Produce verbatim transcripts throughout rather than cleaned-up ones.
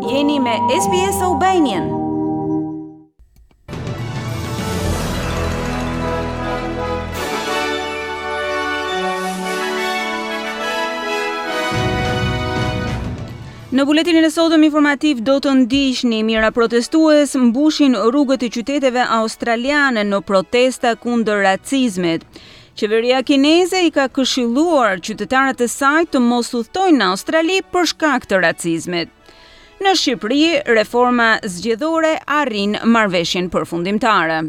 Jeni me S B S Albanian. Në buletinin e sotëm informativ do të ndiqni: mijëra protestues mbushin rrugët e qyteteve australiane në protesta kundër racizmit. Qeveria kineze i ka këshilluar qytetarët e saj të mos udhtojnë në Australi për shkak të racizmit. Në Shqipëri, reforma zgjedhore arrin marrëveshjen përfundimtare.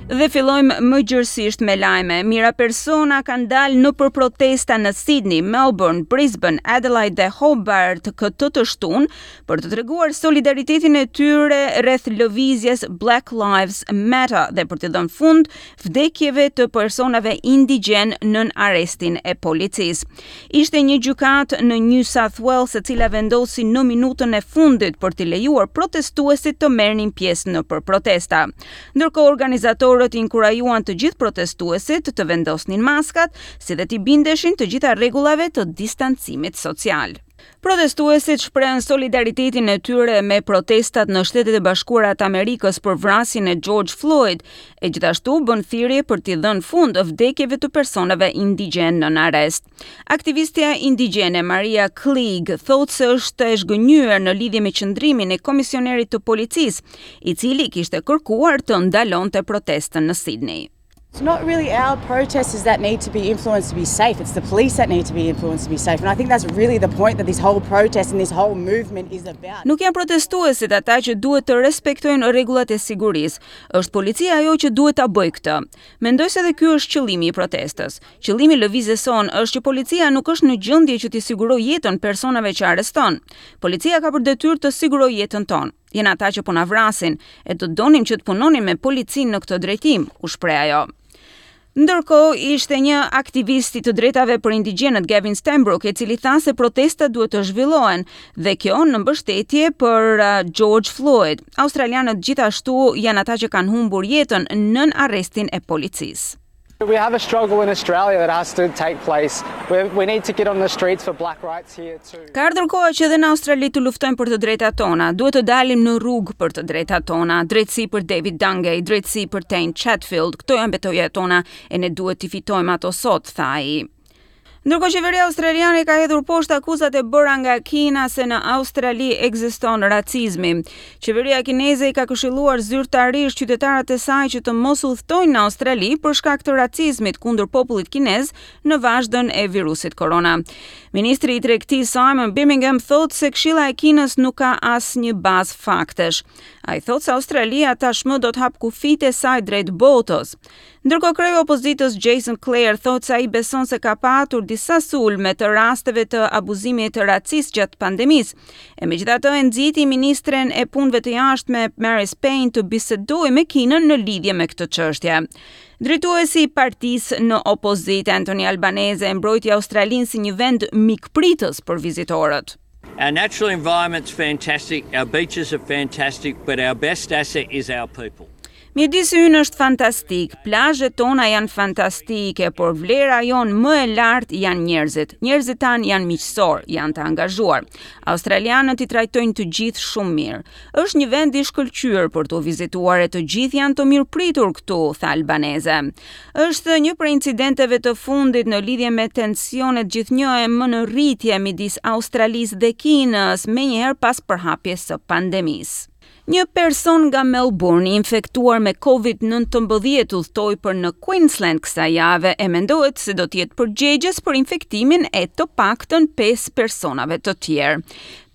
Dhe fillojmë më gjërësisht me lajme. Mijëra persona kanë dalë në për protesta në Sydney, Melbourne, Brisbane, Adelaide dhe Hobart këtë të shtunë për të treguar solidaritetin e tyre rreth lëvizjes Black Lives Matter dhe për të dhënë fund vdekjeve të personave indigjen nën arrestin e policisë. Ishte një gjykatë në New South Wales e cila vendosi në minutën e fundit për të lejuar protestuesit të merrnin pjesë në për protesta. Ndërkohë, organizatorët inkurajuan të gjithë protestuesit të vendosnin maskat, si dhe t'i bindeshin të gjitha rregullave të distancimit social. Protestuesit shprehën solidaritetin e tyre me protestat në Shtetet e Bashkuara të Amerikës për vrasjen e George Floyd, e gjithashtu bën thirrje për t'i dhënë fund vdekjeve të personave indigjen në arrest. Aktivistja indigjene Maria Cleage thotë se është e zhgënjyer në lidhje me qëndrimin e komisionerit të policisë, i cili kishte kërkuar të ndalonte protestën në Sydney. It's not really our protesters that need to be influenced to be safe. It's the police that need to be influenced to be safe. And I think that's really the point that this whole protest and this whole movement is about. Nuk janë protestuesit ata që duhet të respektojnë rregullat e sigurisë. Është policia ajo që duhet ta bëjë këtë. Mendoj se edhe ky është qëllimi i protestës. Qëllimi i lëvizjes sonë është që policia nuk është në gjendje që t'i sigurojë jetën personave që arreston. Policia ka për detyrë të sigurojë jetën tonë. Janë ata që po na vrasin, e do donim që të punonin me policinë në këtë drejtim, u shpreh ajo. Ndërkohë, ishte një aktivist i të drejtave për indigjenët, Gavin Stanbrook, i cili tha se protestat duhet të zhvillohen dhe kjo në mbështetje për uh, George Floyd. Australianët gjithashtu janë ata që kanë humbur jetën nën arrestin e policisë. We have a struggle in Australia that has to take place. We, we need to get on the streets for black rights here too. Ka ardhur koha që edhe në Australi të luftojmë për të drejtat tona. Duhet të dalim në rrugë për të drejtat tona. Drejtësi për David Dungay, drejtësi për Tane Chatfield. Këto janë betejat tona e ne duhet t'i fitojmë ato sot, tha ai. Ndërkohë, qeveria australiane ka hedhur poshtë akuzat e bëra nga Kina se në Australi ekziston racizmi. Qeveria kineze i ka këshilluar zyrtarisht qytetarët e saj që të mos udhtojnë në Australi për shkak të racizmit kundër popullit kinez në vazhdën e virusit korona. Ministri i Tregtisë Simon Birmingham thotë se këshilla e Kinës nuk ka asnjë bazë faktesh. Ai thotë se Australia tashmë do të hap kufijtë e saj drejt botës. Ndërkohë, kreu i opozitës Jason Clare thotë se ai beson se ka patur disa sulme të rasteve të abuzimit racist gjatë pandemisë. E megjithatë e nxiti ministren e punëve të jashtme Marise Payne të bisedojë me Kinën në lidhje me këtë çështje. Drejtuesi i partisë në opozitë Anthony Albanese e mbrojti Australinë si një vend mikpritës për vizitorët. Our natural environment's fantastic, our beaches are fantastic, but our best asset is our people. Mjedisi ynë është fantastik, plazhet tona janë fantastike, por vlera jonë më e lartë janë njerëzit. Njerëzit tanë janë miqësor, janë të angazhuar. Australianët i trajtojnë të gjithë shumë mirë. Është një vend i shkëlqyer për të vizituar e të gjithë janë të mirëpritur këtu, tha Albanese. Është një prej incidenteve të fundit në lidhje me tensionet gjithnjë e më në rritje midis Australisë dhe Kinës, menjëherë pas përhapjes së pandemisë. Një person nga Melbourne i infektuar me COVID nëntëmbëdhjetë udhtoi për në Queensland kësaj jave e mendohet se do të jetë përgjegjës për infektimin e të paktën pesë personave të tjerë.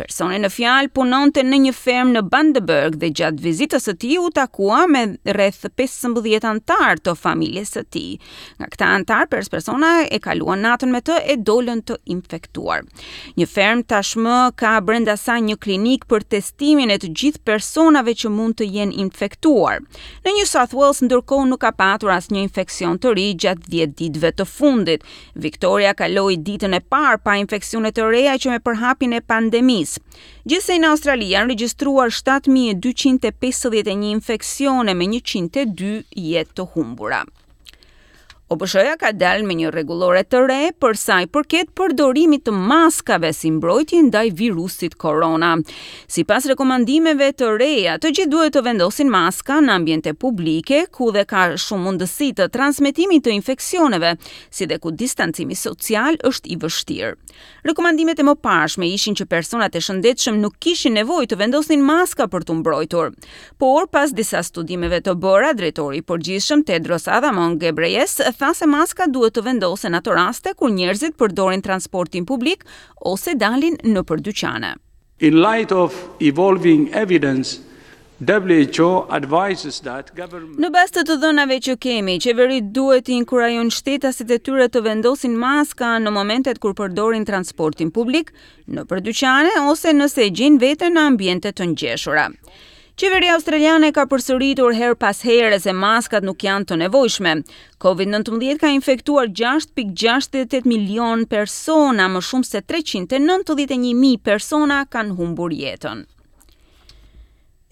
Personi në fjalë punonte në një fermë në Bundaberg dhe gjatë vizitës së tij u takua me rreth pesëmbëdhjetë anëtarë të familjes së tij. Nga këta anëtarë, pesë persona e kaluan natën me të e dolën të infektuar. Një fermë tashmë ka brenda saj një klinikë për testimin e të gjithë personave që mund të jenë infektuar. Në New South Wales ndërkohë nuk ka patur asnjë infeksion të ri gjatë dhjetë ditëve të fundit. Victoria kaloi ditën e parë pa infeksione të reja që me përhapjen e pandemisë. Gjithsej në Australi janë regjistruar shtatë mijë e dyqind e pesëdhjetë e një infeksione me njëqind e dy jetë të humbura. O B Sh-ja ka dalë me një rregullore të re për sa i përket përdorimit të maskave si mbrojtje ndaj virusit korona. Sipas rekomandimeve të reja, të gjithë duhet të vendosin maska në ambiente publike ku dhe ka shumë mundësi të transmetimit të infeksioneve, si dhe ku distancimi social është i vështirë. Rekomandimet e mëparshme ishin që personat e shëndetshëm nuk kishin nevojë të vendosnin maska për t'u mbrojtur. Por pas disa studimeve të bëra, drejtori i përgjithshëm Tedros Adhanom Ghebreyesus tha se maska duhet të vendosen në ato raste kur njerëzit përdorin transportin publik ose dalin nëpër dyqane. In light of evolving evidence, W H O advises that government Në bazë të të dhënave që kemi, qeveritë duhet të inkurajojnë shtetasit e tyre të vendosin maska në momentet kur përdorin transportin publik, nëpër dyqane ose nëse e gjejnë veten në ambiente të ngjeshura. Qeveria australiane ka përsëritur her pas here se maskat nuk janë të nevojshme. Covid nëntëmbëdhjetë ka infektuar gjashtë pikë gjashtëdhjetë e tetë milion persona, më shumë se treqind e nëntëdhjetë e një mijë persona kanë humbur jetën.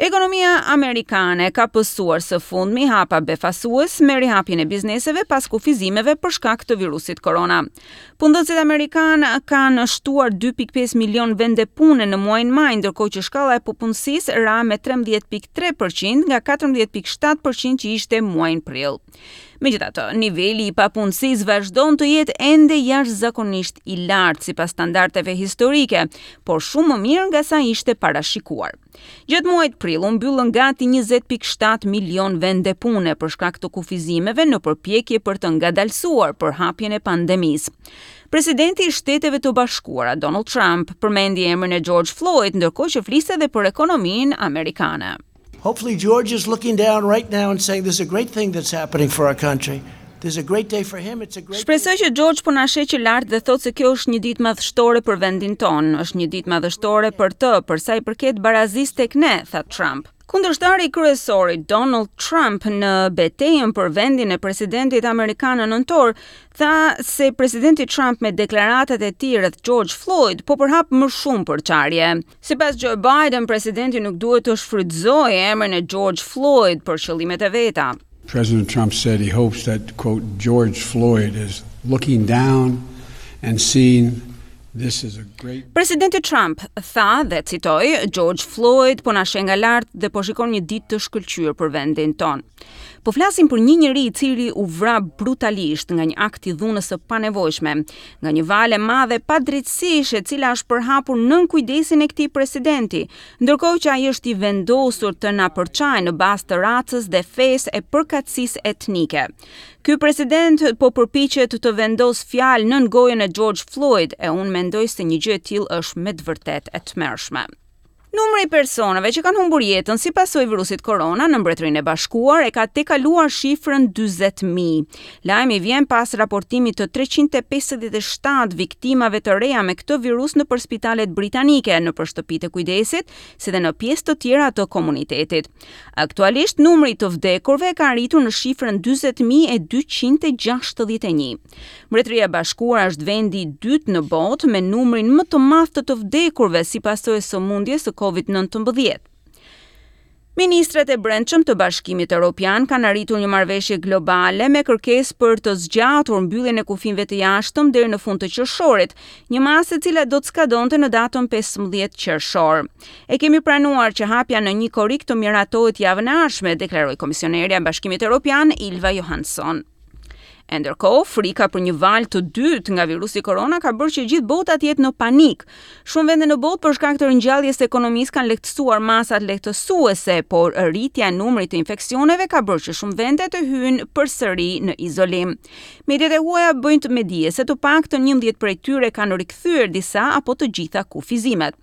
Ekonomia amerikane ka pësuar së fundmi hapa befasues me rihapjen e bizneseve pas kufizimeve për shkak të virusit korona. Punëdhënësit amerikanë kanë shtuar dy pikë pesë milion vende pune në muajin maj, ndërkohë që shkalla e papunësisë ra me trembëdhjetë pikë tre për qind nga katërmbëdhjetë pikë shtatë për qind që ishte muajin prill. Megjithatë, niveli i papunësisë vazhdon të jetë ende jashtëzakonisht i lartë sipas standardeve historike, por shumë më mirë nga sa ishte parashikuar. Gjatë muajit prill u mbyllën gati njëzet pikë shtatë milion vende pune për shkak të kufizimeve në përpjekje për të ngadalësuar përhapjen e pandemisë. Presidenti i Shteteve të Bashkuara Donald Trump përmendi emrin e George Floyd ndërkohë që fliste edhe për ekonominë amerikane. Hopefully George is looking down right now and saying there's a great thing that's happening for our country. There's a great day for him. It's a great Shpresoj që George po na sheh që lart dhe thotë se kjo është një ditë madhështore për vendin tonë, është një ditë madhështore për të, për sa i përket barazisë tek ne, tha Trump. Kundërshtari kryesor i Donald Trump në betejën për vendin e presidentit amerikan në nëntor tha se presidenti Trump me deklaratat e tij rreth George Floyd po përhap më shumë përçarje. Sipas Joe Biden, presidenti nuk duhet të shfrytëzojë emrin e George Floyd për qëllimet e veta. President Trump said he hopes that, quote, George Floyd is looking down and seeing this is a great Presidenti Trump tha dhe citoj, "George Floyd po na sheh nga lart dhe po shikon një ditë të shkëlqyer për vendin tonë. Po flasim për një njeri i cili u vra brutalisht nga një akt i dhunës së panevojshme, nga një valë e madhe padrejtësish e cila është përhapur nën kujdesin e këtij presidenti, ndërkohë që ai është i vendosur të na përçajë në bazë të racës dhe fesë e përkatësisë etnike. Ky president po përpiqet të vendos fjalë nën gojën e George Floyd e unë mendoj se një gjë e tillë është me të vërtetë e tmerrshme." Numri i personave që kanë humbur jetën si pasojë virusit korona në Mbretërinë e Bashkuar e ka tejkaluar shifrën dyzet mijë. Lajmi vjen pas raportimit të treqind e pesëdhjetë e shtatë viktimave të reja me këtë virus nëpër spitalet britanike, nëpër shtëpitë e kujdesit, si dhe në pjesë të tjera të komunitetit. Aktualisht numri i të vdekurve ka arritur në shifrën dyzet mijë e dyqind e gjashtëdhjetë e një. Mbretëria e Bashkuar është vendi i dytë në botë me numrin më të madh të të vdekurve si pasojë e sëmundjes së Covid nëntëmbëdhjetë. Ministrat e brendshëm të Bashkimit Evropian kanë arritur një marrëveshje globale me kërkesë për të zgjatur mbylljen e kufinjve të jashtëm deri në fund të qershorit, një masë e cila do të skadonte në datën pesëmbëdhjetë qershor. "E kemi pranuar që hapja në një korrik të miratohet javën e ardhshme", deklaroi komisionerja e Bashkimit Evropian Ylva Johansson. E ndërkohë, frika për një valë të dytë nga virusi korona ka bërë që gjithë bota të jetë në panik. Shumë vende në botë për shkak të ringjalljes së ekonomisë kanë lehtësuar masat lehtësuese, por rritja e numrit të infeksioneve ka bërë që shumë vende të hyjnë përsëri në izolim. Mediat e huaja bëjnë të me dije se të paktën njëmbëdhjetë prej tyre kanë rikthyer disa apo të gjitha kufizimet.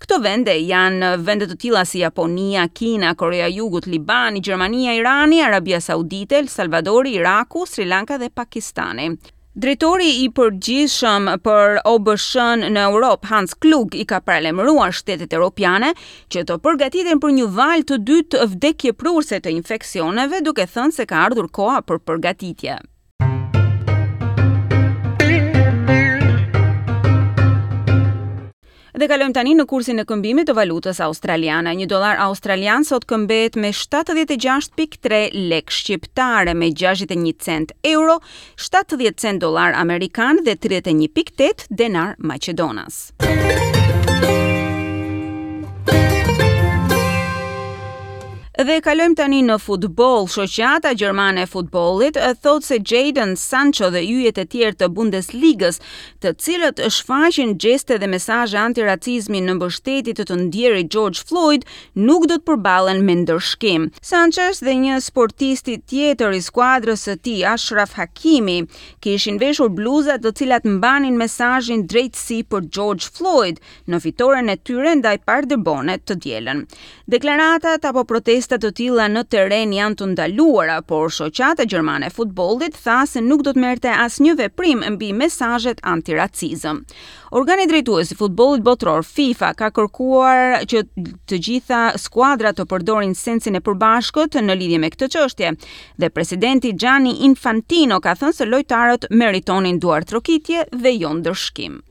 Këto vende janë vende të tilla si Japonia, Kina, Korea e Jugut, Libani, Gjermania, Irani, Arabia Saudite, El Salvadori, Iraku, Sri Lanka dhe Pakistani. Drejtori i përgjithshëm për O B Sh-n në Europë, Hans Klug, i ka paralajmëruar shtetet europiane që të përgatiten për një valë të dytë vdekjeprurëse të infeksioneve, duke thënë se ka ardhur koha për përgatitje. Dhe Dhe kalojmë tani në kursin e këmbimit të valutës australiane. Një dollar australian sot këmbehet me shtatëdhjetë e gjashtë pikë tre lek shqiptare, me gjashtëdhjetë e një cent euro, shtatëdhjetë cent dollar amerikan dhe tridhjetë e një pikë tetë denar maqedonas. Dhe kalojmë tani në futboll. Shoqata Gjermane e Futbollit thotë se Jadon Sancho dhe yjet e tjerë të Bundesligës, të cilët shfaqin gjeste dhe mesazhe antiracizmi në mbështetje të të ndjerit George Floyd, nuk do të përballen me ndëshkim. Sanchez dhe një sportisti tjetër i skuadrës së tij, Achraf Hakimi, kishin veshur bluza të cilat mbanin mesazhin "Drejtësi për George Floyd" në fitoren e tyre ndaj Paderbornit të dielën. Deklaratat apo protestat të tilla në terren janë të ndaluara, por shoqata gjermane e futbollit tha se nuk do të merrte asnjë veprim mbi mesazhet antiracizëm. Organi drejtues i futbollit botëror FIFA ka kërkuar që të gjitha skuadrat të përdorin sensin e përbashkët në lidhje me këtë çështje dhe presidenti Gianni Infantino ka thënë se lojtarët meritonin duartrokitje dhe jo ndëshkim.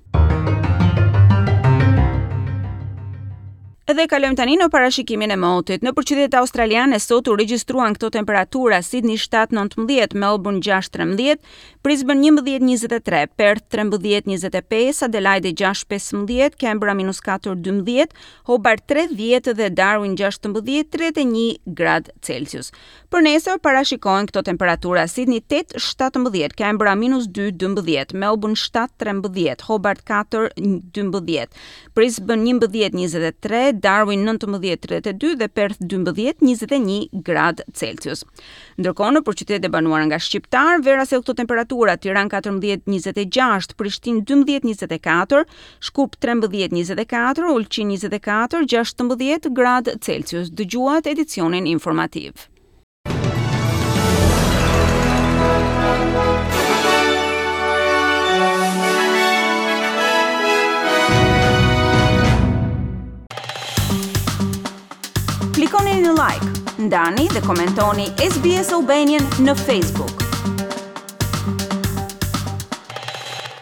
Edhe kalojmë tani në parashikimin e motit. Në qytetet australiane sot u regjistruan këto temperatura: Sydney shtatë nëntëmbëdhjetë, Melbourne gjashtë trembëdhjetë, Brisbane njëmbëdhjetë njëzet e tre, Perth trembëdhjetë njëzet e pesë, Adelaide gjashtë pesëmbëdhjetë, Canberra minus katër dymbëdhjetë, Hobart tridhjetë dhe Darwin gjashtëmbëdhjetë tridhjetë e një gradë Celsius. Për nesër parashikohen këto temperatura: Sydney tetë shtatëmbëdhjetë, Canberra minus dy dymbëdhjetë, Melbourne shtatë trembëdhjetë, Hobart katër dymbëdhjetë, Brisbane njëmbëdhjetë njëzet e tre, Darwin nëntëmbëdhjetë tridhjetë e dy dhe Perth dymbëdhjetë njëzet e një gradë Celsius. Ndërkohë, në qytetet e banuara nga shqiptar, vera sjell këto temperatura: Tiranë katërmbëdhjetë njëzet e gjashtë, Prishtinë dymbëdhjetë njëzet e katër, Shkup trembëdhjetë njëzet e katër, Ulqin njëzet e katër, gjashtëmbëdhjetë gradë Celsius. Dëgjuat edicionin informativ. Klikoni në like, ndani dhe komentoni S B S Albanian në Facebook.